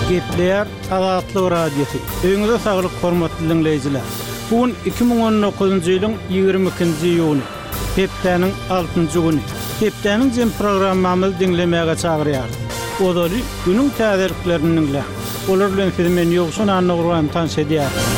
Gepleýär Azatlyk Radiosy. Öýüňize saglyk hormatly diňleýjiler. Bu gün 2019-njy ýylyň 22-nji iýuny, hepdäniň altynjy güni. Hepdäniň jem programmamyzy diňlemäge çagyrýarys. Ozaly günüň täzeliklerini diňläň. Olar bilen sizi men Ýowşan Annagurban tanyş edýärin.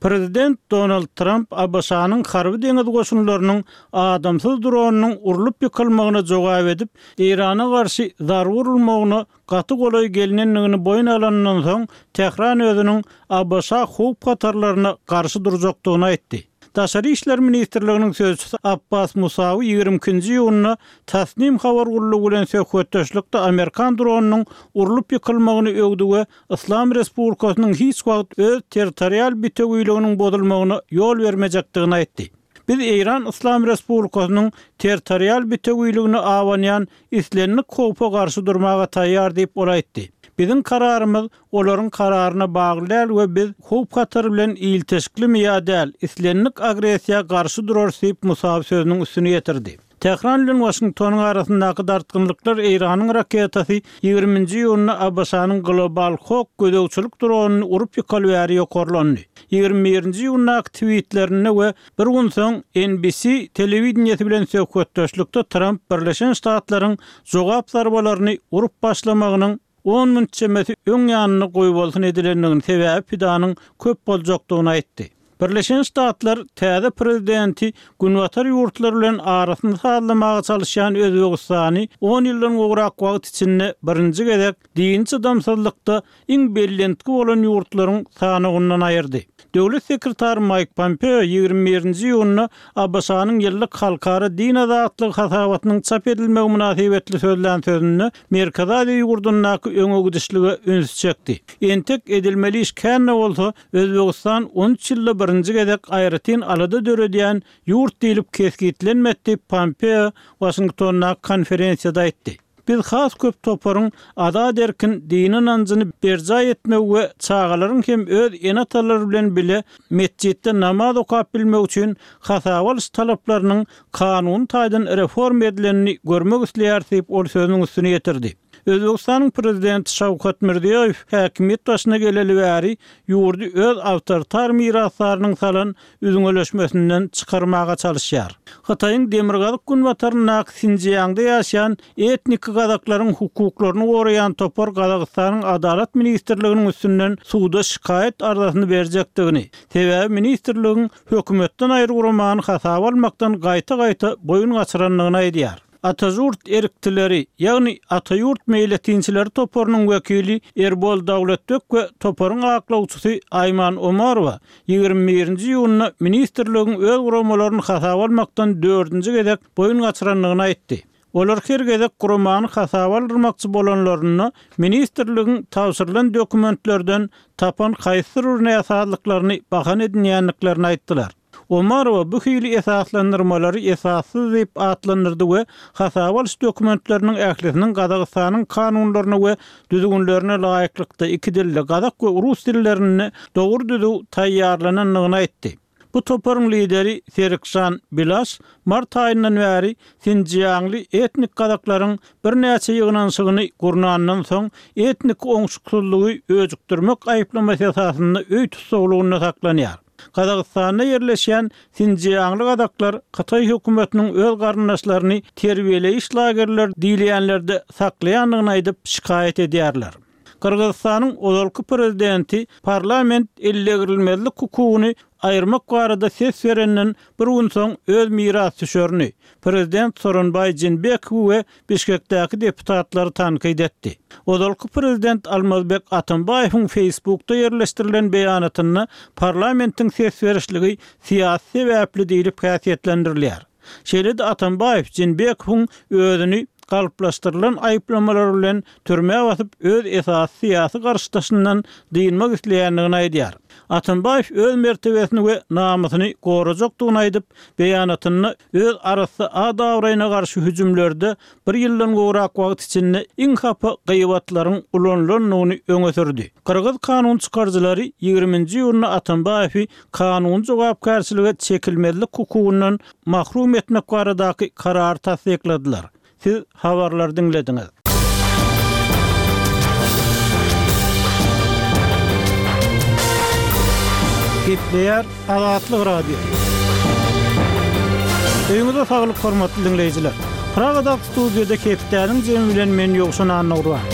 Prezident Donald Tramp ABŞ-nyň harby-deňiz goşunlarynyň adamsyz dronynyň urlup ýykylmagyna jogap edip, Eýrana garşy zarba urulmagyna gaty golaý gelnendigini boýun alanyndan soň, Tähran özüniň ABŞ howp-hatarlaryna garşy durjakdygyny aýtdy. Daşary işler ministrliginiň sözçüsi Abbas Musawi 22-nji iýunda Tasnim habar gullugy bilen söhbetdeşlikde amerikan dronynyň urlup ýykylmagyny öwdi we Yslam Respublikasynyň hiç wagt öz territorial bitewiliginiň bozulmagyna ýol bermejekdigini aýtdy. Biz Eýran Yslam Respublikasynyň territorial bitewiligine abanýan islendik howpa garşy durmaga taýýar diýip, ol aýtdy. Biziň kararymyz olaryň kararyna bagly däl we biz howp-hatar bilen ilteşiklimi ýa däl, islendik agressiýa garşy durarys diýip, Musawi sözüniň üstüni ýetirdi. Tähran bilen Waşingtonyň arasyndaky dartgynlyklar Eýranyň raketasy 20-nji iýunda ABŞ-nyň Global Hawk gözegçilik dronyny urup ýykaly bäri ýokarlandy. 21-nji iýundaky twitlerinde we bir gün soň NBC telewideniýesi bilen söhbetdeşlikde Tramp Birleşen Ştatlaryň jogap zarbalaryny urup başlamagynyň on minut çemesi öň ýanynda goýbolsun edilendigini, sebäbi pidanyň köp boljakdygyny aýtdy. Birleşen Ştatlar täze prezidenti Günbatar ýurtlary bilen arasyny sazlamaga çalyşýan Özbegistany on ýyldan gowrak wagt içinde birinji gezek dini çydamsyzlykda iň bellentgi bolan ýurtlaryň sanawyndan aýyrdy. Döwlet sekretary Maýk Pompeo 21-nji iýunda ABŞ-nyň ýyllyk Halkara din azatlygy hasabatynyň çap edilmegi mynasybetli sözlän sözünde Merkezi Aziýa ýurdundaky öňegidişlige ünsi çekdi. Entek edilmeli iş kän-de bolsa, Özbegistan 13 ýylda birinji gezek aýratyn alada döredýän ýurt diýlip kesgitlenmedi diýip, Pompeo Waşingtondaky konferensiýada aýtdy. Biz has köp toparyň azat-erkin dini ynanjyny berjaý etmegi we çagalaryň hem öz ene-atalary bilen bile metjitde namaz okap bilmegi üçin hasaba alyş talaplarynyň kanuny taýdan reforma edilenini görmek isleýäris diýip, ol sözüniň üstüni ýetirdi. Özbegistanyň prezidenti Şawkat Mirziýoýew häkimiýet başyna geleli bäri ýurdy öz awtoritar mirasdarynyň salan üzňeleşmesinden çykarmaga çalyşýar. Hytaýyň demirgazyk-günbataryndaky Sinjiangda ýaşaýan etniki gazaklaryň hukuklaryny goraýan topar Gazagystanyň Adalat ministrliginiň üstünden suda şikaýat arzasyny berjekdigini, sebäbi ministrligiň hökümetden aýry guramany hasaba almakdan gaýta-gaýta boýun gaçyrandygyny aýdýar. Atažurt erktileri, ýagny Ataýurt meýletinçileri toparynyň wekili Erbol Dawletbek we toparyň aklawçysy Aýman Omarowa 21-nji iýunda ministrligiň öz guramalaryny hasaba almakdan dördünji gezek boýun gaçyrandygyny aýtdy. Olar her gezek guramany hasaba aldyrmakçy bolanlarynda ministrligiň tabşyrylan dokumentlerden tapan haýsydyr bir näsazlyklaryny bahana edinýändiklerini aýtdylar. Omarowa bu hili esaslandyrmalary esassyz diýip atlandyrdy we hasaba alyş dokumentleriniň ählisiniň Gazagystanyň kanunlaryna we düzgünlerine laýyklykda iki dilde, gazak we rus dillerinde dogry-düzüw taýýarlanandygyny aýtdy. Bu toparyň lideri Serikžan Bilaş mart aýyndan bäri sinjiangly etnik gazaklaryň birnäçe ýygnanyşygyny gurnandan soň, etnik oňşuksyzlygy öjükdirmek aýyplamasy esasynda öý tussaglygynda saklanýar. Gazagystanda ýerleşýän sinjiangly gazaklar hytaý hökümetiniň öz garyndaşlaryny terbiýeleýiş lagerleri diýilýänlerde saklaýandygyny aýdyp, şikaýat edýärler. Gyrgyzystanyň ozalky prezidenti parlament ellegirilmezlik hukugyny aýyrmak barada ses berenden bir gün soň öz mirasdüşerini, prezident Soronbaý Jeenbekowy we Bişkekdäki deputatlary tankyt etdi. Ozalky prezident Almazbek Atambaýewiň Facebookda ýerleşdirilen beýanatynda parlamentiň ses berişligi syýasy sebäpli diýlip häsiýetlendirilýär. Şeýle-de Atambaýew Jeenbekowyň özüni galplaşdyrylan aýyplamalar bilen türmä basyp, öz esasy syýasy garşydaşyndan dynmak isleýändigini aýdýar. Atambaýew öz mertebesini we namysyny gorajakdygyny aýdyp, beýanatynda öz arassa at-abraýyna garşy hüjümlerde bir ýyldan gowrak wagt içinde iň hapa gybatlaryň ulanylandygyny öňe sürdi. Gyrgyz kanun çykaryjylary 20-nji iýunda Atambaýewi kanuny jogapkärçilige çekilmezlik hukugyndan mahrum etmek baradaky karary tassykladylar. Siz habarlary diňlediňiz. Gepleýär Azatlyk Radiosy. Öýüňize saglyk hormatly diňleýjiler. Pragadaky studiýada hepdäniň jemi bilen men Ýowşan Annagurban.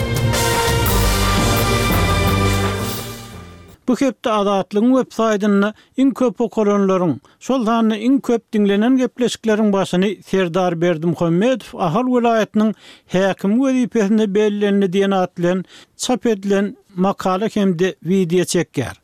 Bu hepde Azatlygyň web saýtynda iň köp okalanlaryň, şol sanda iň köp diňlenen gepleşikleriň başyny Serdar Berdimuhamedow Ahal welaýatynyň häkimi wezipesine bellendi diýen at bilen çap edilen makala hem-de wideo çekýär.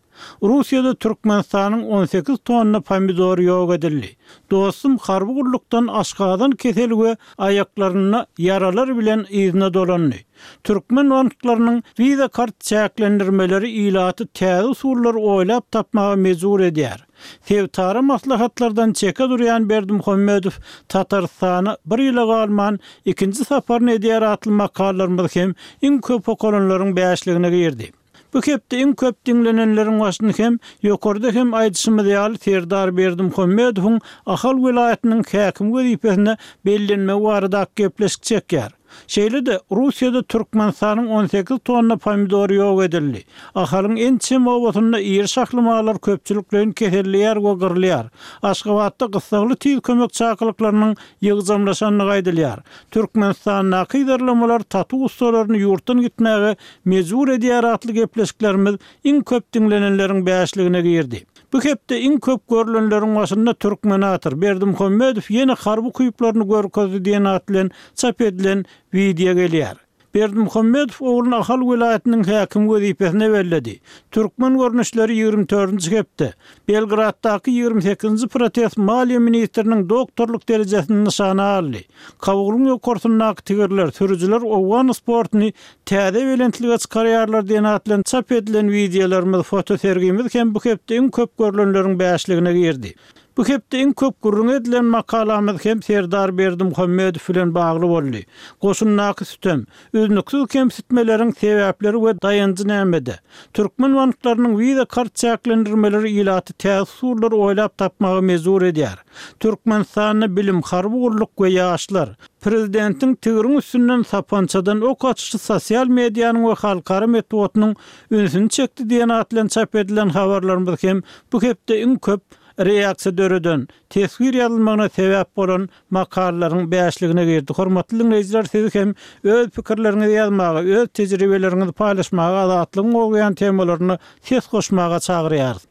Russiýada Türkmenistanyň 18 tonna pomidory ýok edildi. Dostum harby gullukdan aşgazan keseli we aýaklarynda ýaralar bilen yzyna dolandy. Türkmen banklarynyň Visa kart çäklendirmeleri ilaty täze usullary oýlap tapmaga mejbur edýär. Sebitara maslahatlardan çeke durýan Berdimuhamedow Tatarystana bir ýyla galman ikinji saparyny edýär atly makalalarymyz hem iň köp okalanlaryň bäşligine girdi. Bu hepde iň köp diňlenenleriň başyny hem ýokarda hem aýdyşymyz ýaly Serdar Berdimuhamedowyň Ahal welaýatynyň häkimi wezipesine bellenmegi baradaky gepleşik çekýär. Şeýle-de, Russiýada Türkmenistanyň 18 tonna pomidory ýok edildi. Ahalyň ençeme obasynda iri şahly mallar köpçülikleýin keselleýär we gyrylýar. Aşgabatda gyssagly tiz kömek çakylyklarynyň ýygjamlaşandygy aýdylýar. Türkmenistandaky yzarlamalar tatu ussalaryny ýurtdan gitmäge mejbur edýär atly gepleşiklerimiz iň köp diňlenenleriň bäşligine girdi. Bu hepde iň köp görlenleriň başynda Türkmenator, Berdimuhamedow ýene harby ukyplaryny görkezdi diýen at bilen çap edilen wideo gelýär. Berdimuhamedow ogluny Ahal welaýatynyň häkimi wezipesine belledi. Türkmen görnüşleri 24-nji hepde. Belgraddaky 28-nji protest maliýe ministriniň doktorlyk derejesini nyşana aldy. Kabulyň ýokarsyndaky tigirler, sürüjiler owgan sportuny täze belentlige çykarýarlar diýen at bilen çap edilen wideolarymyz, fotosergimiz hem bu hepde iň köp görlenleriň bäşligine girdi. Bu hepde iň köp gürrüňi edilen makalamyz hem Serdar Berdimuhamedow bilen bagly boldy. Goşundaky sütem, üznüksiz kemsitmeleriň sebäpleri we daýanjy nämede? Türkmen banklarynyň wiza kart çäklendirmeleri ilaty täze usullary oýlap tapmaga mejbur edýär. Türkmenistanda bilim, harby gulluk we ýaşlar, Prezidentiň tigriň üstünden sapançadan ok atyşy sosial medianyň we halkara metbugatynyň ünsüni çekdi diýen at bilen çap edilen habarlarymyz hem bu hepde iň köp reaksiýa döreden, teswir ýazylmagyna sebäp bolan makalalaryň bäşligine girdi. Hormatly diňleýjiler sizi hem öz pikirleriňizi ýazmaga, öz tejribeleriňizi paýlaşmaga Azatlygyň gozgaýan temalaryna ses goşmaga çagyrýarys.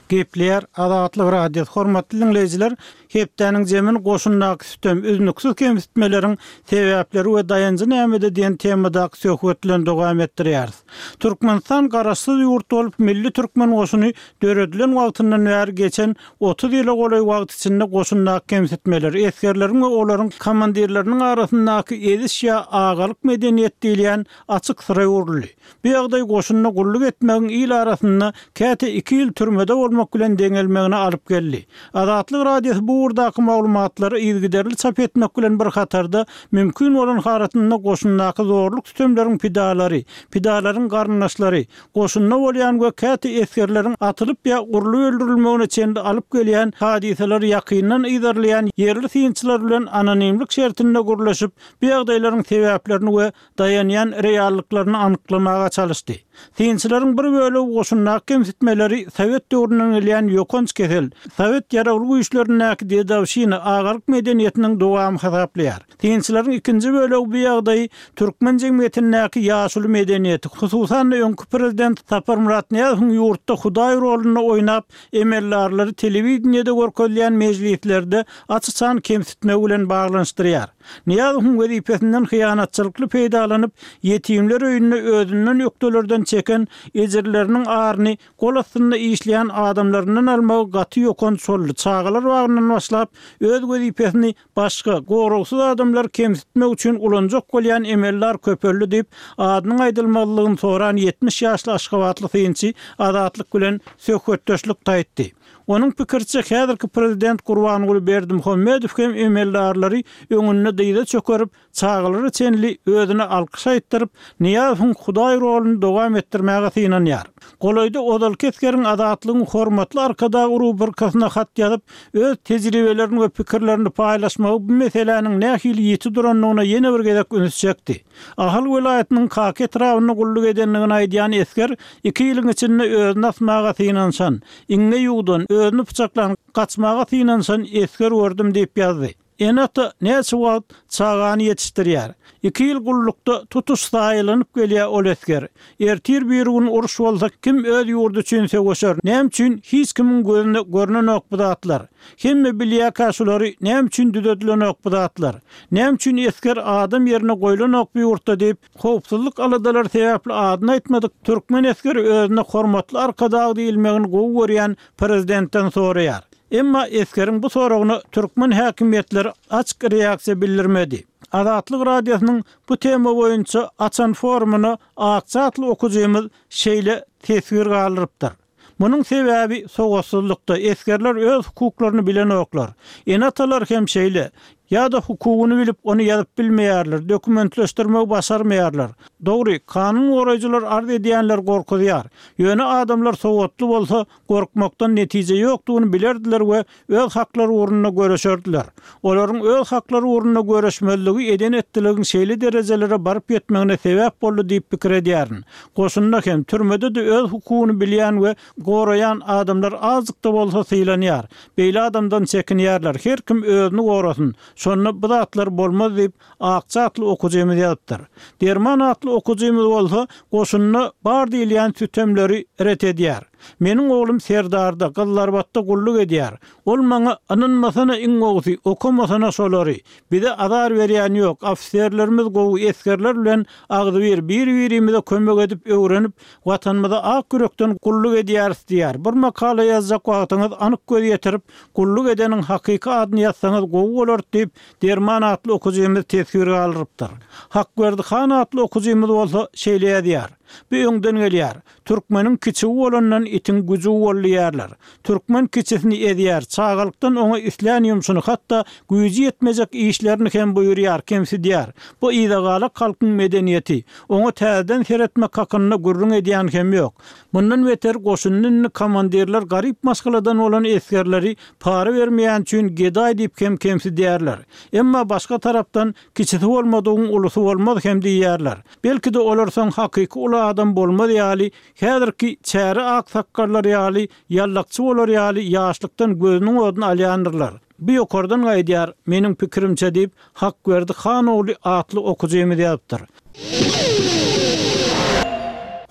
Gepleýär Azatlyk Radiosy Hormatly diňleýjiler, hepdäniň jemini goşundaky sütem, üznüksiz kemsitmeleriň sebäpleri we daýanjy nämede diýen temadaky söhbet bilen dowam etdirýäris. Türkmenistan garaşsyz ýurt bolup, milli türkmen goşuny döredilen wagtyndan bäri geçen 30 ýyla golaý wagt içinde goşundaky kemsitmeler, esgerleriň we olaryň komandirleriniň arasyndaky eziş ýa agalyk medeniýet diýilýän açyk syra öwrüldi. Bu ýagdaý goşunda gulluk etmegiň il arasynda käte iki ýyl türmede bolmak bilen deňelmegine alyp geldi. Azatlyk Radiosy bu ugurdaky maglumatlary yzygiderli çap etmek bilen bir hatarda, mümkin bolan halatynda goşundaky zorluk-sütemleriň pidalary, pidalaryň garyndaşlary, goşunda bolýan we käte esgerleriň atylyp ýa urlup öldürilmegine çenli alyp gelýän hadysalary ýakyndan yzarlaýan ýerli synçylar bilen anonimlik şertinde gürleşip, bu ýagdaýlaryň sebäplerini we daýanýan reallyklaryny anyklamaga çalyşdy. Synçylaryň bir bölegi goşundaky kemsitmeleri sowet döwründen gelýän ýokanç kesel, sowet ýaragly güýçlerindäki dedowşina, agalyk medeniýetiniň dowamy hasaplaýar. Synçylaryň ikinji bölegi bu ýagdaýy türkmen jemgyýetindäki ýaşuly medeniýeti, hususan-da öňki prezident Saparmyrat Nyýazowyň ýurtda hudaý rolunda oýnap, emeldarlary telewideniýede görkezilýän mejlislerde aç-açan kemsitmegi bilen baglanyşdyrýar. Nyýazowyň wezipesinden hyýanatçylykly peýdalanyp, ýetimler öýünde özünden ökdelerden çeken ejirleriniň aryny gol astynda işleýän adamlaryndan almagy gaty ýokanç boldy, çagalar bagyndan başlap, öz wezipesini başga, goragsyz adamlary kemsitmek üçin ulanjak bolýan emeldar köpeldi diýip, adynyň aýdylmazlygyny soran 70 ýaşly aşgabatly synçy Azatlyk bilen söhbetdeşlikde aýtdy. Onuň pikiriçe, häzirki prezident Gurbanguly Berdimuhamedow hem emeldarlary öňünde dyza çökerip, çagalara çenli özüne alkyş aýtdyryp, Nyýazowyň hudaý roluny dowam etdirmäge synanýar. Golaýda ozalky esgeriň Azatlygyň hor. Hormatly Arkadag rubrikasyna hat ýazyp, öz tejribelerini we pikirlerini paýlaşmagy bu meseläniň nähili ýiti durandygyna ýene bir gezek üns çekdi. Ahal welaýatynyň Kaka etrabynda gulluk edendigini aýdýan esger iki ýylyň içinde özüni asmaga synanyşan, iňňe ýuwdan, özüni pyçaklan, gaçmaga synanyşan esger gördüm diýip ýazdy. Ene-ata näçe wagt çagany ýetişdirýär? Iki ýyl gullukda tutuş zaýalanyp gelýär ol esger. Ertir-birigün uruş bolsa kim öz ýurdy üçin söweşer? Näme üçin hiç kimiň gözüne görnenok bu zatlar? Hemme bilýäkä şulary näme üçin düzedilenok bu zatlar? Näme üçin esger adam ýerine goýlanok bu ýurtda diýip, howpsuzlyk aladalary sebäpli adyny aýtmadyk türkmen esgeri özüne hormatly Arkadag diýilmegini gowy görýän prezidentden soraýar. Emma esgeriň bu soragyna türkmen häkimiýetleri açyk reaksiýa bildirmedi. Azatlyk Radiosynyň bu tema boýunça açan forumyna Akja atly okujymyz şeýle teswir galdyrypdyr, Munuň sebäbi sowatsyzlykda, esgerler öz hukuklaryny bilenoklar. Ene-atalar hem şeýle. Ýa-da hukugyny bilip, ony ýazyp bilmeýärler, dokumentleşdirmegi başarmaýarlar. Dogry, kanun goraýjylar arz edýänleri gorkuzýar. Ýöne adamlar sowatly bolsa, gorkmakdan netije ýokdugyny bilerdiler we öz haklary ugrunda göreşerdiler. Olaryň öz haklary ugrunda göreşmezligi eden-etdiligiň şeýle derejelere baryp ýetmegine sebäp boldy diýip pikir edýärin. Goşunda hem, türmede-de öz hukugyny bilýän we goraýan adamlar azjyk-da bolsa sylanýar. Beýle adamdan çekinýärler. Her kim özüni gorasyn, şonda bu zatlar bolmaz diýip, Akja atly okujymyz ýazypdyr. Derman atly okujymyz bolsa goşunda bar diýilýän sütemleri ret edýär. Meniň oglum Serdarda, Gyzlarbatda gulluk edýär. Ol maňa ynanmasana iň gowusy, okamasana şolary. Bize azar berýän ýok, ofiserlerimiz gowy, esgerler bilen agzybir, bir-birimize kömek edip öwrenip, Watanymyza ak ýürekden gulluk edýäris diýýär. Bir makala ýazjak wagtyňyz anyk göz ýetirip, gulluk edeniň hakyky adyny ýazsaňyz gowy bolardy diýip, Derman atly okujymyz teswir galdyrypdyr. Hakberdi han atly okujymyz bolsa şeýle ýazýar, Bu öňden gelýär. Türkmeniň kiçigi bolandan itiň güjügi bol diýýärler. Türkmen kiçisini ezýär, çagalykdan oňa islän ýumşuny, hatda güýji ýetmejek işlerini hem buýurýar, kemsidýär. Bu yzagalak halkyň medeniýeti. Oňa täzeden seretmek hakynda gürrüň edýän hem ýok. Mundan beter goşunda indi komandirler garyp maşgaladan bolan esgerleri para bermeýäni üçin gedaý diýip hem kemsidýärler. Emma başga tarapdan kiçisi bolmadygyň ulusy bolmaz hem diýýärler. Belki-de olar soň hakyky uly adam bolmaz ýaly, häzirki çäre aksakgallar ýaly ýallakçy bolar ýaly ýaşlykdan gözüniň oduny alýandyrlar. Bu ýokardan gaýdýar, meniň pikirimçe diýip, Hakberdi han ogly atly okujymyz ýazypdyr.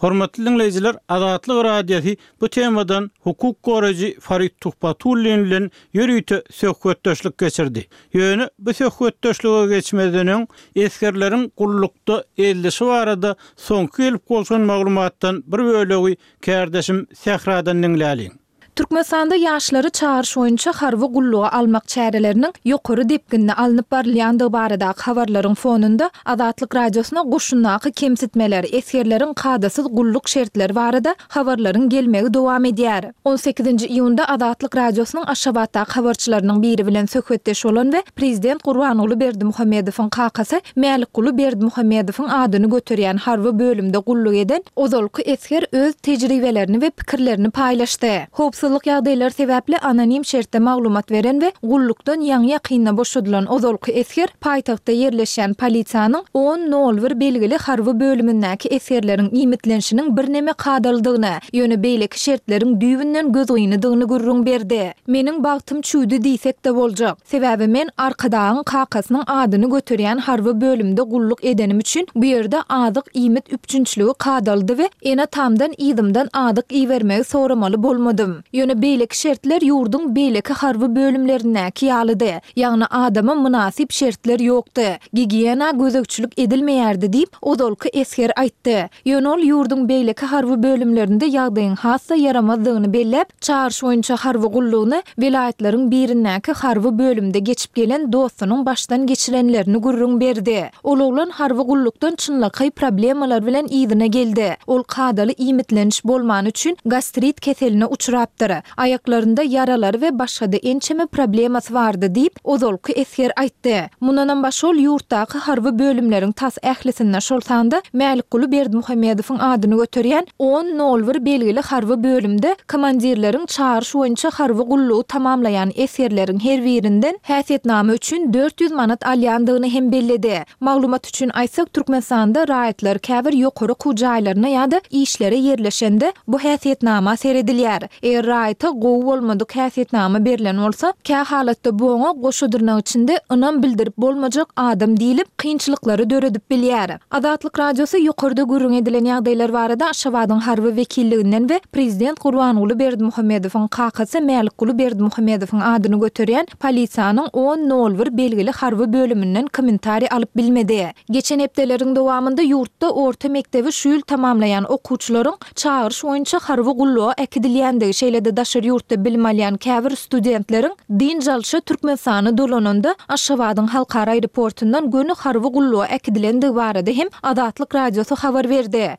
Hormatly diňleýjiler, Azatlyk Radiosy bu temadan hukuk goraýjy Farid Tuhbatullin bilen ýörite söhbetdeşlik geçirdi. Ýöne bu söhbetdeşlige geçmezden öň, esgerleriň gullukda ezilişi barada soňky gelip gowşan maglumatdan bir bölegi kärdeşim Sähradan diňläliň. Türkmenistanda ýaşlary çagyryş boýunça harby gulluga almak çäreleriniň ýokary depginde alnyp barylýandygy baradaky habarlaryň fonunda, Azatlyk Radiosyna goşundaky kemsitmeler, esgerleriň kadasyz gulluk şertleri barada habarlaryň gelmegi dowam edýär. On sekizinji iýunda Azatlyk Radiosynyň Aşgabatdaky habarçylarynyň biri bilen söhbetdeş bolan we prezident Gurbanguly Berdimuhamedowyň kakasy Mälikguly Berdimuhamedowyň adyny göterýän harby bölümde gulluk eden ozalky esger öz tejribelerini we pikirlerini paýlaşdy. Howpsuzlyk ýagdaýlary sebäpli anonim şertde maglumat beren we gullukdan ýaňy-ýakynda boşadylan ozalky esger paýtagtda ýerleşýän polisiýanyň on nol bir belgili harby bölümindäki esgerleriň iýmitlenişiniň birneme kadalydygyny, ýöne beýleki şertleriň düýbünden gözgynydygyny gürrüň berdi. Meniň bagtym çüwdi diýsek-de boljak. Sebäbi men Arkadagyň kakasynyň adyny göterýän harby bölümde gulluk edenim üçin bu ýerde azyk-iýmit üpjünçiligi kadalydy we ene-atamdan yzymdan azyk ibermegi soramaly bolmadym. Ýöne beýleki şertler ýurduň beýleki harby bölümlerindäki ýalydy. Ýagny adama mynasyp şertler ýokdy. Gigiýena gözegçilik edilmeýärdi diýip, ozalky esger aýtdy. Ýöne ol ýurduň beýleki harby bölümlerinde ýagdaýyň has-da ýaramazdygyny belläp, çagyryş boýunça harby gullugyny welaýatlaryň birindäki harby bölümde geçip gelen dostunyň başdan geçirenlerini gürrüň berdi. Ol oglan harby gullukdan çynlakaý problemalar bilen yzyna geldi. Ol kadaly iýmitleniş bolmany üçin gastrit keseline uçrapdyr. galypdyr. Aýaklarynda ýaralary we başga-da ençeme problemasy bardy diýip, ozalky esger aýtdy. Mundanam başga ol ýurtdaky harby bölümleriň tas ählisinde, şol sanda Mälikguly Berdimuhamedowyň adyny göterýän on nol bir belgili harby bölümde komandirleriň çagyryş boýunça harby gullugy tamamlaýan esgerleriň her birinden häsiýetnama üçin 400 manat alýandygyny hem belledi. Maglumat üçin aýtsak, Türkmenistanda raýatlar käbir ýokary okuw jaýlaryna ýa-da işlere ýerleşende bu häsiýetnama seredilýär. Eger raýata gowy bolmadyk häsiýetnama berlen bolsa, kä halatda bu oňa goşa dyrnak içinde ynam bildirip bolmajak adam diýlip, kynçylyklary döredip bilýär. Azatlyk Radiosy ýokarda gürrüň edilen ýagdaýlar barada Aşgabadyň harby wekilliginden we prezident Gurbanguly Berdimuhamedowyň kakasy Mälikguly Berdimuhamedowyň adyny göterýän polisiýanyň on nol bir belgili harby bölüminden kommentariý alyp bilmedi. Geçen hepdeleriň dowamynda ýurtda orta mekdebi şu ýyl tamamlaýan okuwçylaryň çagyryş boýunça harby gulluga äkidilýändigi, şeýle-de daşary ýurtda bilim alýan käbir studentleriň dynç alşa Türkmenistana dolananda Aşgabadyň halkara aeroportundan göni harby gulluga äkidilendigi barada hem Azatlyk Radiosy habar berdi.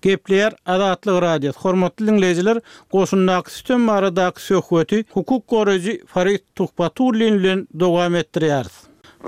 Gepleýär Azatlyk Radiosy, Hormatly diňleýjiler, goşundaky sütem baradaky söhbeti hukuk goraýjy Farid Tuhbatullin bilen dowam etdirýäris.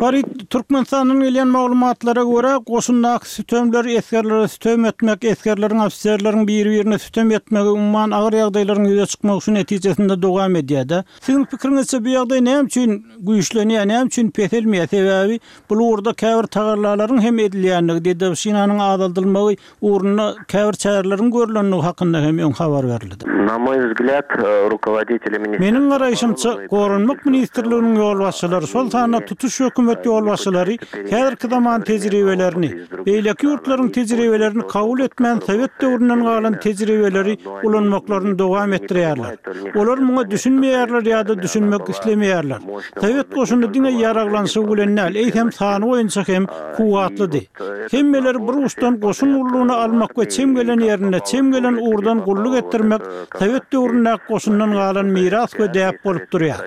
Farid, Türkmenistandan gelýän maglumatlara görä, goşundaky sütemler, esgerlere sütem etmek, esgerleriň, ofiserleriň biri-birine sütem etmegi, umuman agyr ýagdaýlaryň ýüze çykmagy şu netijesinde dowam edýär-de. Siziň pikiriňizçe bu ýagdaý näme üçin güýçlenýär, näme üçin peselmeýär? Sebäbi bu ugurda käbir tagallalaryň hem edilýändigi, dedowşinanyň azaldylmagy ugrunda käbir çäreleriň görlendigi hakynda hem öň habar berildi. Na moý wzglýad, rukovoditeli Meniň garaýşymça, Goranmak ministrliginiň ýolbaşçylary, şol sanda tutuş hökümet ýolbaşçylary häzirki zaman tejribelerini, beýleki ýurtlaryň tejribelerini kabul etmän sowet döwründen galan tejribeleri ulanmaklaryny dowam etdirýärler. Olar muňa düşünmeýärler ýa-da düşünmek islemeýärler. Sowet goşuny diňe ýaraglanyşygy bilen däl, eýsem sany boýunça hem kuwwatlydy. Hemmeleri bir uçdan goşun gullugyna almak we çem gelen ýerinde, çem gelen ugurdan gulluk etdirmek sowet döwründäki goşundan galan miras we däp bolup durýar.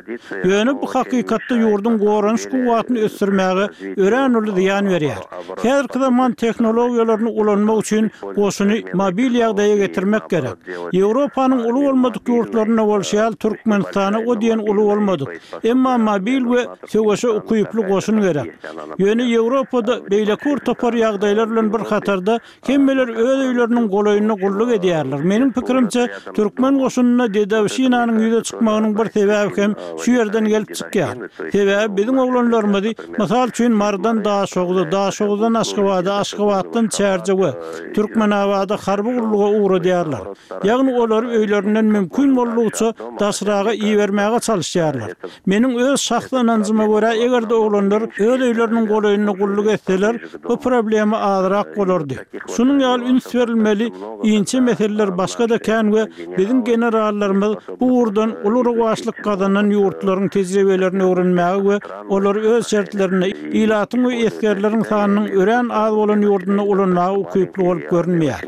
Ýöne bu hakykatda ýurduň goranyş kuwwatyny ösdürmäge örän uly zyýan berýär. Häzirki zaman tehnologiýalaryny ulanmak üçin goşuny mobil ýagdaýa getirmek gerek. Ýewropanyň uly bolmadyk ýurtlarynda bolşy ýaly Türkmenistana o diýen uly bolmadyk, emma mobil we Söweşe ukyply goşun gerek. Ýöne Ýewropada beýleki bir topar ýagdaýlar bilen bir hatarda hemmeler öz öýleriniň golaýynda gulluk edýärler. Meniň pikirimçe, türkmen goşunynda dedowşinanyň ýüze çykmagynyň bir sebäbi hem şu ýerden gelip çykýar. Sebäbi biziň oglanlarymyzy, mysal üçin, Marydan Daşoguza, Daşoguzdan Aşgabada, Aşgabatdan Çärjewe, Türkmenabada harby gulluga ugradýarlar. Ýagny olary öýlerinden mümkin boldugyça daşraga ibermäge çalyşýarlar. Meniň öz şahsy ynanjyma görä, eger-de oglanlar öz öýleriniň golaýynda gulluk etseler, bu problema azrak bolardy. Şunuň ýaly üns berilmeli inçe meseleler başga-da kän we biziň generallarymyz bu ugurdan uly rowaçlyk gazanan ýurtlaryň tejribelerini öwrenmäge we olary öz şertlerinde, ilatyň we esgerleriň sanynyň örän az bolan ýurdunda ulanmaga ukyply bolup görünmeýär.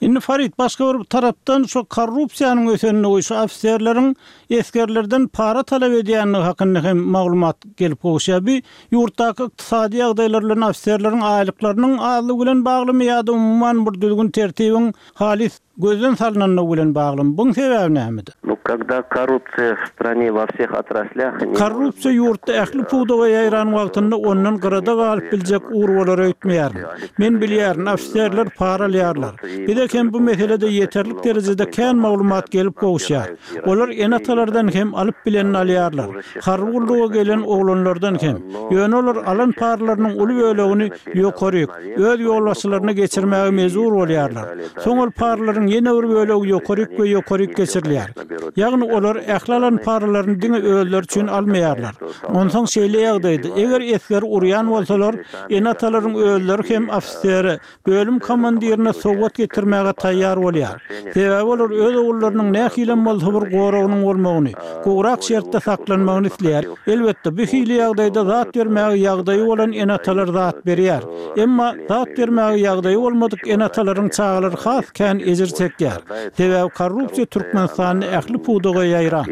Indi Farid, başga bir tarapdan şu korrupsiýanyň ösenligi, şu ofiserleriň esgerlerden para talap edýändigi hakynda hem maglumat gelip gowuşýar. Bu ýurtdaky ykdysady ýagdaýlar bilen ofiserleriň aýlyklarynyň azlygy bilen baglymy ýa-da umuman bir düzgün-tertibiň halys gözden salnanlygy bilen baglymy? Buň sebäbi nämede? Nu, kogda korrupsiýa w strane wo wseh otraslýah ne может Korrupsiýa ýurtda ähli pudaga ýaýran wagtynda ondan gyrada galyp biljek ugur bolar öýtmeýärin. Men bilýärin, ofiserler para alýarlar. Bize hem bu meselede ýeterlik derejede kän maglumat gelip gowuşýar. Olar ene-atalardan hem alyp bilenini alýarlar. Harby gulluga gelen oglanlardan hem. Ýöne olar alan paralarynyň uly bölegini ýokaryk, öz ýolbaşçylaryna geçirmäge mejbur bolýarlar. Soň ol paralaryň ýene bir bölegi ýokaryk we ýokaryk geçirilýär. Ýagny olar ähli alan paralaryny diňe özleri üçin almaýarlar. Onsoň şeýle ýagdaýda, eger esgeri urýan bolsalar, ene-atalaryň özleri hem ofisere, bölüm komandirine sowgat getirmäge taýýar bolýar. Sebäbi olar öz ogullarynyň nähilem bolsa bir goragynyň bolmagyny, gowrak şertde saklanmagyny isleýär. Elbetde, bu hili ýagdaýda zat bermäge ýagdaýy bolan ene-atalar zat berýär. Emma zat bermäge ýagdaýy bolmadyk ene-atalaryň çagalary has kän ejir. çekýär. Sebäbi korrupsiýa Türkmenistanda ähli pudaga ýaýran.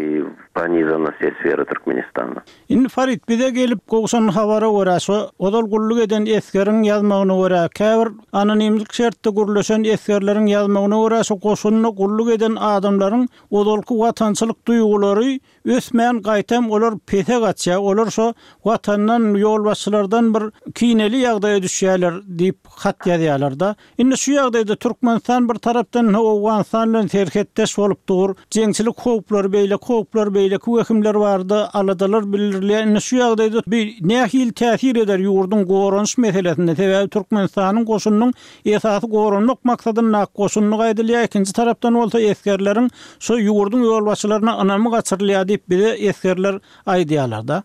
Pronizana все sferы Turkmenistana. Indi Farid bize gelip gowşan habara görä şo ozal gulluk eden esgeriň ýazmagyna görä käbir anonimlik şertde gürleşen esgerleriň ýazmagyna görä şo goşunda gulluk eden adamlaryň ozalky watançylyk duýgulary ösmän gaýtam olar pese gaçýar olar şo watandan ýolbaşçylardan bir kineli ýagdaýa düşýärler diýip hat ýazýarlarda Indi şu ýagdaýda Türkmenistan bir tarapdan Owganystan bilen serhetdeş bolup dur. Jeňçilik howplary, beýleki howplar, beýleki wehimler barada aladalar bildirilýär. Indi şu ýagdaýda bu nähili täsir eder ýurduň goranyş meselesinde? Sebäbi Türkmenistanyň goşunynyň esasy goranmak maksadyndaky goşundygy aýdylýar. Ikinji tarapdan bolsa esgerleriň şu ýurduň ýolbaşçylaryna ynamy gaçyrylýar diýip bize esgerler aýdýarlar-da.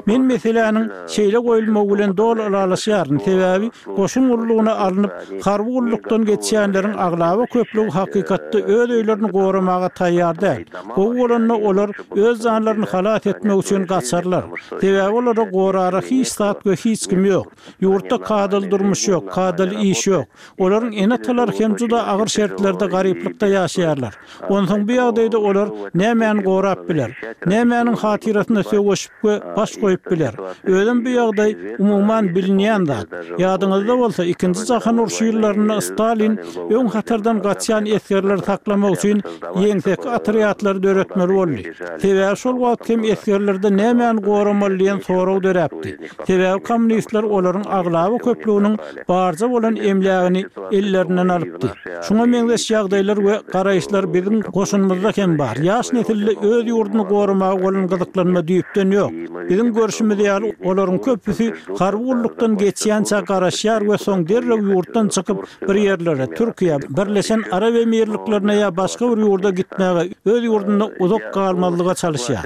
Men meseläniň şeýle goýulmagy bilen doly ylalaşýaryn, sebäbi goşun gullugyna alnyp, harby gullukdan geçýänleriň aglaba köplügi hakykatda öz öýlerini goramaga taýýar däl. Gowy bolanda olar öz janlaryny halas etmek üçin gaçarlar. Sebäbi olara gorara hiç zat we hiç kim ýok. Ýurtda kadaly durmuş ýok, kadaly iş ýok. Olaryň ene-atalary hem juda agyr şertlerde garyplykda ýaşaýarlar. Onsoň bu ýagdaýda olar nämäni gorap biler? Nämäniň hatyrasyna söweşip we baş goýup biler? Özem bu ýagdaý umuman bilinýän zat. Ýadyňyzda bolsa, Ikinji jahan urşy ýyllarynda Stalin öň hatardan gaçýan esgerleri saklamak üçin ýeňseki otrýadlary döretmeli boldy. Sebäbi şol wagt hem esgerlerde nämäni goramaly diýen sorag döräpdi. Sebäbi kommunistler olaryň aglaba köplüginiň barja bolan emlägini ellerinden alypdy. Şuňa meňzeş ýagdaýlar we garaýyşlar biziň goşunymyzda hem bar. Ýaş nesilde öz ýurduny goramaga bolan gyzyklanma düýpden ýok. Biziň görşümiz ýaly, olaryň köpüsi harby gullukdan geçýänçä garaşýar we soň derrew ýurtdan çykyp, bir ýerlere, Türkiýä, Birleşen Arap Emirliklerine ýa başga bir ýurda gitmäge, öz ýurdunda uzak galmazlyga çalyşýar.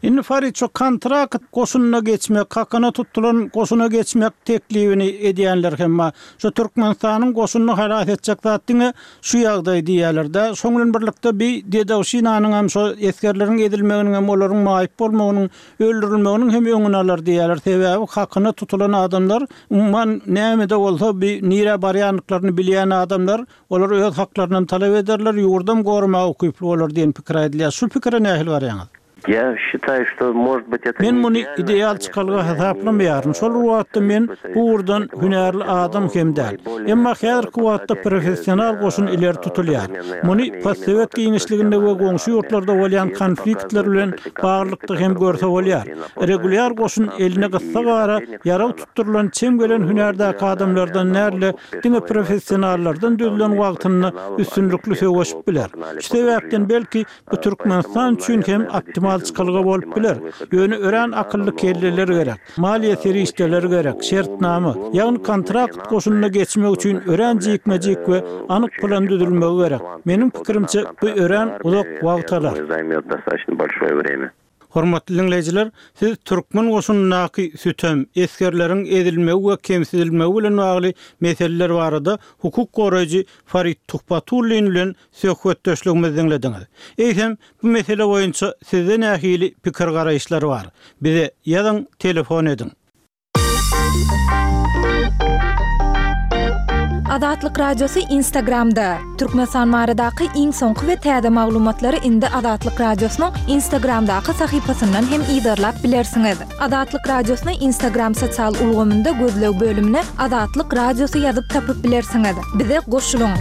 Indi Farid şu kontrakt goşunyna geçmek, hakyna tutulan goşuna geçmek teklibini edýänler hem bar. Şu Türkmenistanyň goşunyny halas etjek zat diňe şu ýagdaý diýýärler-de. Şoň bilen birlikde bi dedowşinanyň hem şo esgerleriň ezilmeginiň hem olaryň maýyp bolmagynyň, öldürilmeginiň hem öňüni alar diýýärler. Sebäbi hakyna tutulan adamlar umuman näme-de bolsa bi nirä barýandyklaryny bilýän adamlar Olar öz haklarynam talap ederler, ýurdam goramaga ukyply bolar diýen pikir aýdylýar. Şu pikire nähili garaýaňyz? Men muny ideal çykalga hasaplamaýaryn. Şol bir wagtda men bu ugurdan hünärli adam hem däl. Emma häzirki wagtda professional goşun ileri tutulýar. Muny postsowet giňişliginde we goňşy ýurtlarda bolýan konfliktler bilen baglylykda hem görse bolýar. Regulýar goşun eline gyssagara ýarag tutdurylan çem gelen hünärdäki adamlardan däl-de, diňe professionallardan düzülen wagtynda üstünlikli söweşip biler. Şu sebäpden belki bu Türkmenistan üçin hem optimal çykalga bolup biler. Ýöne örän akylly kelleler gerek, maliýe serişdeleri gerek, şertnama, ýagny kontrakt goşunyna geçmek üçin örän jikme-jik we anyk plan düzülmegi gerek. Meniň pikirimçe bu örän uzak wagt alar. Hormatly diňleýjiler, siz türkmen goşunyndaky sütem, esgerleriň ezilmegi we kemsidilmegi bilen bagly meseleler barada hukuk goraýjy Farid Tuhbatullin bilen söhbetdeşligimizi diňlediňiz. Eýsem, bu mesele boýunça sizde nähili pikir-garaýyşlar bar? Bize ýazyň, telefon ediň. Azatlyk Radiosy Instagramda, Türkmenistan baradaky iň soňky we täze maglumatlary indi Azatlyk Radiosynyň Instagramdaky sahypasyndan hem yzarlap bilersiňiz. Azatlyk Radiosyny Instagram sosial ulgamynda gözleg bölümine Azatlyk Radiosy ýazyp tapyp bilersiňiz. Bize goşulyň!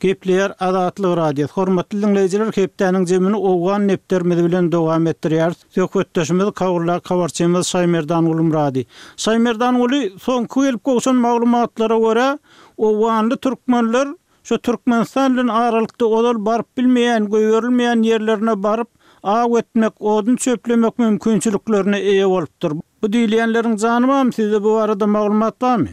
Gepleýär Azatlyk Radiosy. Hormatly diňleýjiler, hepdäniň jemini owgan nepderimiz bilen dowam etdirýäris. Söhbetdeşimiz Kabuldaky habarçymyz Şaýmerdan Gulmyrady. Şaýmerdan Guly, soňky gelip gowşan maglumatlara görä, owganly türkmenler şu Türkmenistan bilen aralykda ozal baryp bilmeýän, goýberilmeýän ýerlerine baryp, aw etmek, odun çöplemek mümkinçiliklerine eýe bolupdyr. Bu diýilýänleriň jany barmy, sizde bu barada maglumat barmy?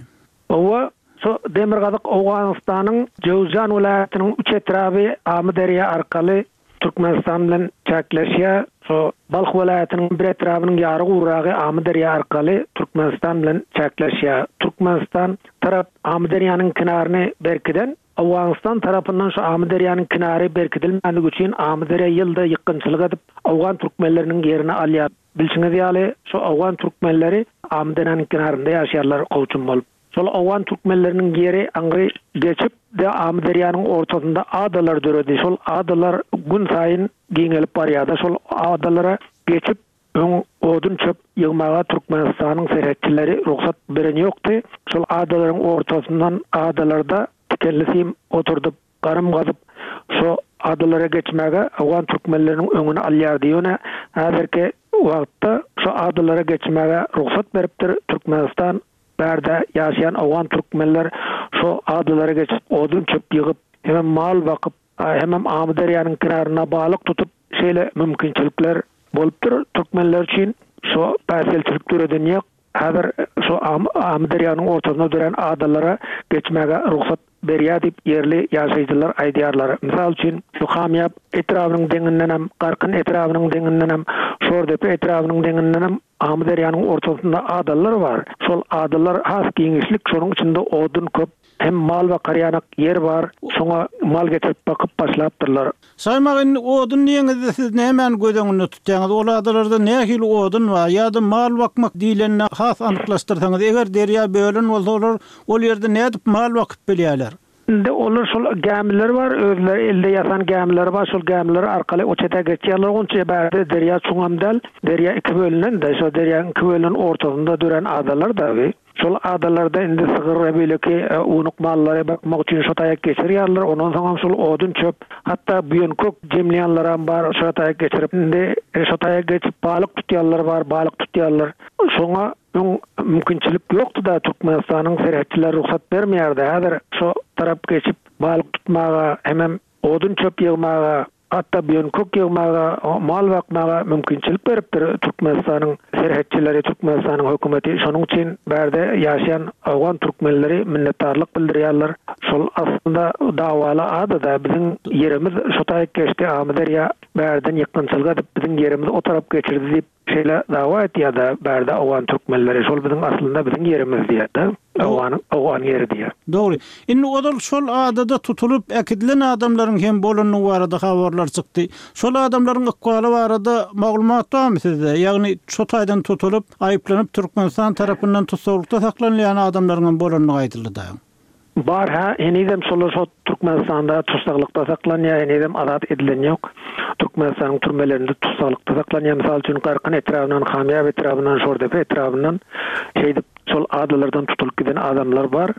Hawa, şu demirgazyk Owganystanyň Jöwzjan welaýatynyň üç etraby Amyderýa arkaly Türkmenistan bilen çäkleşýär. Şo Balh welaýatynyň bir etrabynyň ýary guragy Amyderýa arkaly Türkmenistan bilen çäkleşýär. Türkmenistan tarap Amyderýanyň kenaryny berkiden, Owganystan tarapyndan şu Amyderýanyň kenary berkidilmänligi üçin Amyderýa ýylda ýykgynçylyk edip, owgan türkmenleriniň ýerini alýar. Bilşiňiz ýaly, şu owgan türkmenleri Amyderýanyň kenarynda ýaşaýarlar kowçum bolup. Şol owgan türkmenleriniň ýeri aňry geçip, de Amyderýanyň ortasynda adalar döredi. Şol adalar gün saýyn giňelip barýar-da. Şol adalara geçip, öň odun-çöp ýygmaga Türkmenistanyň serhetçileri rugsat beren ýokdy. Şol adalaryň ortasyndan adalarda tikenli sim oturdyp, garym gazyp, şo adalara geçmäge owgan türkmenleriniň öňüni alýardy. Ýöne häzirki wagtda şo adalara geçmäge rugsat beripdir Türkmenistan. Bärde ýaşaýan owgan türkmenler şo adalara geçip odun-çöp ýygyp, hemem mal bakyp, hemem Amyderýanyň kenarynda balyk tutup şeýle mümkinçilikler bolupdyr türkmenler üçin. Şo päsgelçilik döreden ýok. Häzir şo Amyderýanyň ortasynda dörän adalara geçmäge rugsat berýär diýip, ýerli ýaşaýjylar aýdýarlar. Mysal üçin, şu Hamýap etrabynyň deňindenem, Garkyn etrabynyň deňindenem, Şordepe etrabynyň deňindenem Amyderýanyň ortasynda adalar bar. Şol adalar has giňişlik, şonuň içinde odun köp, hem mal bakar ýanak ýer bar, şoňa mal getirip bakyp başlapdyrlar. Saýmak indi odun diýeňizde siz nämäni göz öňünde tutýaňyz? Ol adalarda nähili odun bar? Ýa-da mal bakmak diýlende has anyklaşdyrsaňyz, eger derýa bölen bolsa olar ol ýerde nädip mal bakyp bilýärler? Indi olar şol gämileri bar, özleri elde ýasan gämileri bar, şol gämiler arkaly o çete geçýärler. Onça bärde derýa çuňam däl, derýa iki bölünen-de, şo derýanyň iki bölünen ortasynda dörän adalar dagy. Şol adalarda indi sygyr we beýleki ownuk mallary bakmak üçin şo taýak geçirýärler. Ondan soňam şol odun-çöp, hatda buýan-kök jemleýänlerem bar, şo taýak geçirip. Indi şo taýak geçip balyk tutýanlar bar, balyk tutýarlar. Şoňa öň mümkinçilik ýokdy-da, Türkmenistanyň serhetçileri rugsat bermeýärdi. Häzir şo tarap geçip balyk tutmaga hemem odun-çöp ýygmaga Hatda buýan-kök ýygmaga, mal bakmaga mümkinçilik beripdir Türkmenistanyň serhetçileri, Türkmenistanyň hökümeti. Şonuň üçin bärde ýaşaýan owgan türkmenleri minnetdarlyk bildirýärler. Şol aslynda dawaly ada-da, biziň ýerimiz şo taýyk geçdi, Amyderýa bärden ýykgynçylyk edip, biziň ýerimizi o tarap geçirdi diýip, Şeýle dawa etýär-de bärde owgan türkmenleri, şol biziň aslynda biziň ýerimiz diýýär-de, owganyň owgan ýeri diýýär. Dogry. Indi ozal şol adada tutulyp äkidilen adamlaryň hem bolandygy barada habarlar çykdy. Şol adamlaryň ykbaly barada maglumat barmy sizde? Ýagny şo taýdan tutulyp, aýyplanyp Türkmenistan tarapyndan tussaglykda saklanylýan adamlaryň hem bolandygy aýdyldy dagy. Bar hä henizem şolar şo Türkmenistanda tussaglykda saklanýar henizem azat edilen ýok. Türkmenistanyň türmelerinde tussaglykda saklanýar mysal üçin Garkyn etrabyndan Hamýap etrabyndan Şordepe etrabyndan şeýdip şol adalardan tutulyp giden adamlar bar.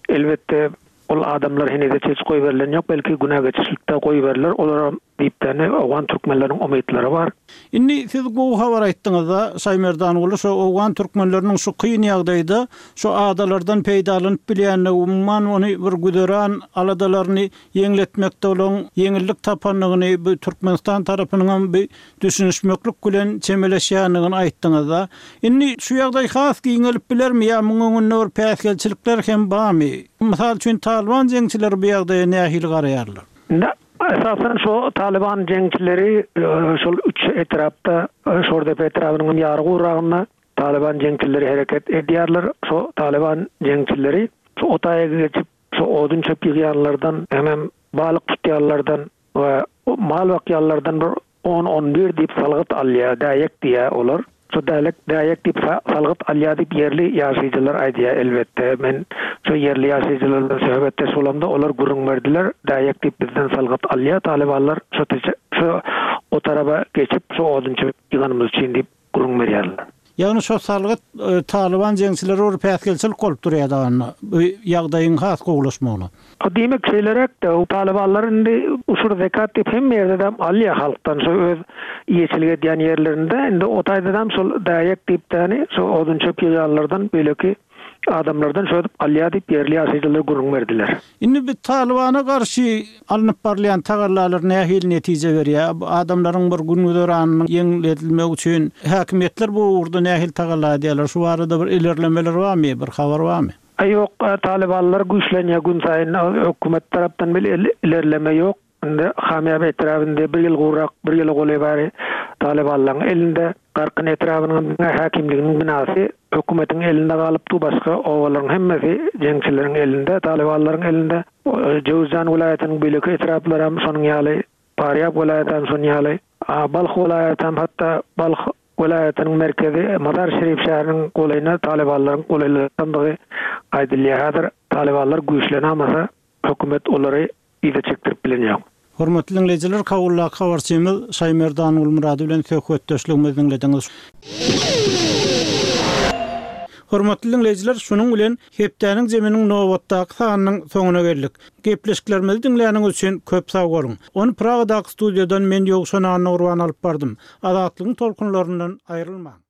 Elbetde ol adamlar henize çeç goýberilen ýok belki günä geçişlikde goýberiler olaram Diýipdäni owgan türkmenleriniň umytlary bar. Indi siz gowy habar aýtdyňyzda Şaýmerdanguly şo owgan türkmenleriniň şu kyn ýagdaýda şo adalardan peýdalanyp bilýändigi umuman ony bir güzeran aladalaryny ýeňletmekde olaň ýeňillik tapandygyny bu Türkmenistan tarapynyňam bi düşünişmeklik bilen çemeleşýändigini aýtdyňyzda. Indi şu ýagdaý has giňelip bilermi ýa muň öňünde bir päsgelçilikler hem barmy? Mysal üçin Talyban jeňçileri bu ýagdaýa nähili garaýarlar? Indi Esasan şo Talyban jeňçileri şol üç etrapda, Şordepe etrabynyň ýary guragynda Talyban jeňçileri hereket edýärler. Şo Talyban jeňçileri şo otaýa geçip, şo odun-çöp ýygýanlardan hemem balyk tutýanlardan we mal bakýanlardan bir On, on bir diýip salgyt alýar, däýek diýýär olar. Şo dälek, däýek diýip salgyt alýar diýip ýerli ýaşaýjylar aýdýar, elbetde. Men şo ýerli ýaşaýjylar bilen söhbetdeş bolamda, olar gürrüň berdiler, däýek diýip bizden salgyt alýar talybanlar, şo şo o taraba geçip, şo odunçy ýyganymyz üçin diýip gürrüň berýärler. Ýagny şo salgyt Talyban jeňçileri bir päsgelçilik bolup durýar dagynda bu ýagdaýyň has gowulaşmagyna. Diýmek şeýleräk-de, talybanlar indi uşur zekat diýip hemme ýerdedem alýar halkdan şo öz eýeçilik edýän ýerlerinde indi o taýdadam şol däýek diýip däni şo odun-çöp ýygýanlardan beýleki adamlardan şödüp alýar diýip ýerli ýaşaýjylar gürrüň berdiler. Indi bu Talybana garşy alnyp barylýan tagallalar nähili netije berýär? Adamlaryň bir gün-güzeranynyň ýeňledilmegi üçin häkimiýetler bu ugurda nähili tagalla edýärler? Şu barada bir ilerlemeler barmy, bir habar barmy? Ýok, talybanlar güýçlenýär günsaýyn, hökümet tarapdan bir ilerleme ýok. Indi Hamýab etrabynda bir ýyl gowrak, bir ýyla golaý bäri talybanlaryň elinde. Garkyn etrabynyň diňe häkimliginiň binasy hökümetiň elinde galypdy, başga obalaryň hemmesi jeňçileriň elinde, talybanlaryň elinde. Jöwüzjan welaýatynyň beýleki etraplaram şonuň ýaly, Parýab welaýatam şonuň ýaly. Balh welaýatam hatda Balh welaýatynyň merkezi Mazar-Şerif şäheriniň golaýyna talybanlaryň golaýlaşandygy aýdylýar. Häzir talybanlar güýçlenamasa, hökümet olary yza çekdirip bilen ýok. Hormatly diňleýjiler, Kabuldaky habarçymyz Şaýmerdan Gulmyrady bilen söhbetdeşligimizi diňlediňiz. Hormatly diňleýjiler, şunuň bilen hepdäniň jeminiň nobatdaky sanynyň soňuna geldik. Gepleşiklerimizi diňläniňiz üçin köp sag boluň. Ony Pragadaky studiýadan men Ýowşan Annagurban alyp bardym. Azatlygyň tolkunlaryndan aýrylmaň.